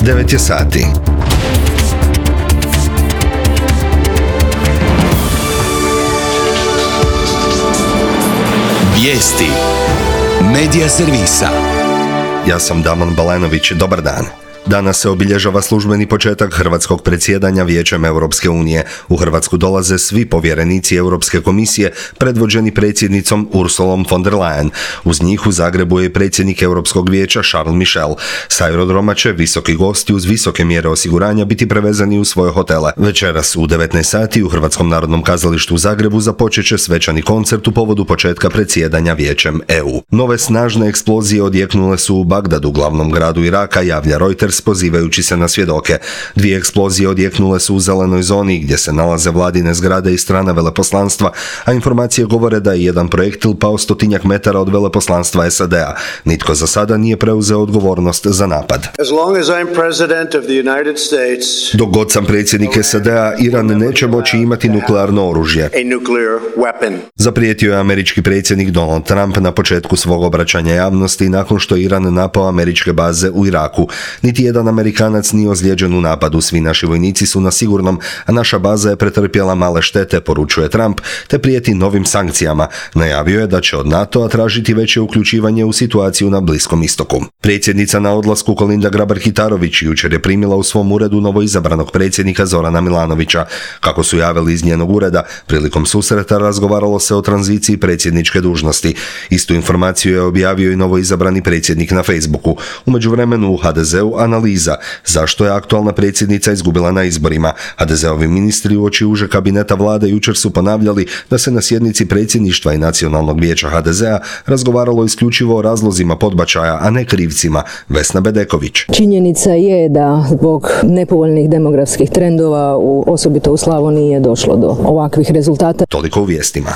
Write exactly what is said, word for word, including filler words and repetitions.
devet je sati. Vijesti Medija servisa. Ja sam Damon Balenović, dobar dan. Danas se obilježava službeni početak hrvatskog predsjedanja Vijećem Europske unije. U Hrvatsku dolaze svi povjerenici Europske komisije predvođeni predsjednicom Ursulom von der Leyen. Uz njih u Zagrebu je predsjednik Europskog vijeća Charles Michel. S aerodroma će visoki gosti uz visoke mjere osiguranja biti prevezani u svoje hotele. Večeras u devetnaest sati u Hrvatskom narodnom kazalištu u Zagrebu započet će svečani koncert u povodu početka predsjedanja Vijećem E U. Nove snažne eksplozije odjeknule su u Bagdadu, glavnom gradu Iraka, javlja Reuters pozivajući se na svjedoke. Dvije eksplozije odjeknule su u zelenoj zoni gdje se nalaze vladine zgrade i strana veleposlanstva, a informacije govore da je jedan projektil pao stotinjak metara od veleposlanstva S A D-a. Nitko za sada nije preuzeo odgovornost za napad. Dok god sam predsjednik S A D-a, Iran neće moći imati nuklearno oružje, zaprijetio je američki predsjednik Donald Trump na početku svog obraćanja javnosti nakon što Iran napao američke baze u Iraku. Niti jedan Amerikanac nije ozlijeđen u napadu, svi naši vojnici su na sigurnom, a naša baza je pretrpjela male štete, poručuje Trump, te prijeti novim sankcijama. Najavio je da će od NATO-a tražiti veće uključivanje u situaciju na Bliskom istoku. Predsjednica na odlasku Kolinda Grabar-Kitarović jučer je primila u svom uredu novoizabranog predsjednika Zorana Milanovića. Kako su javili iz njenog ureda, prilikom susreta razgovaralo se o tranziciji predsjedničke dužnosti. Istu informaciju je objavio i novoizabrani predsjednik na Facebooku. U međuvremenu u H D Z-u analiza zašto je aktualna predsjednica izgubila na izborima. H D Z-ovi ministri uoči uže kabineta vlade jučer su ponavljali da se na sjednici predsjedništva i Nacionalnog vijeća H D Z-a razgovaralo isključivo o razlozima podbačaja, a ne krivcima. Vesna Bedeković. Činjenica je da zbog nepovoljnih demografskih trendova, u, osobito u Slavoniji, je došlo do ovakvih rezultata. Toliko u vijestima.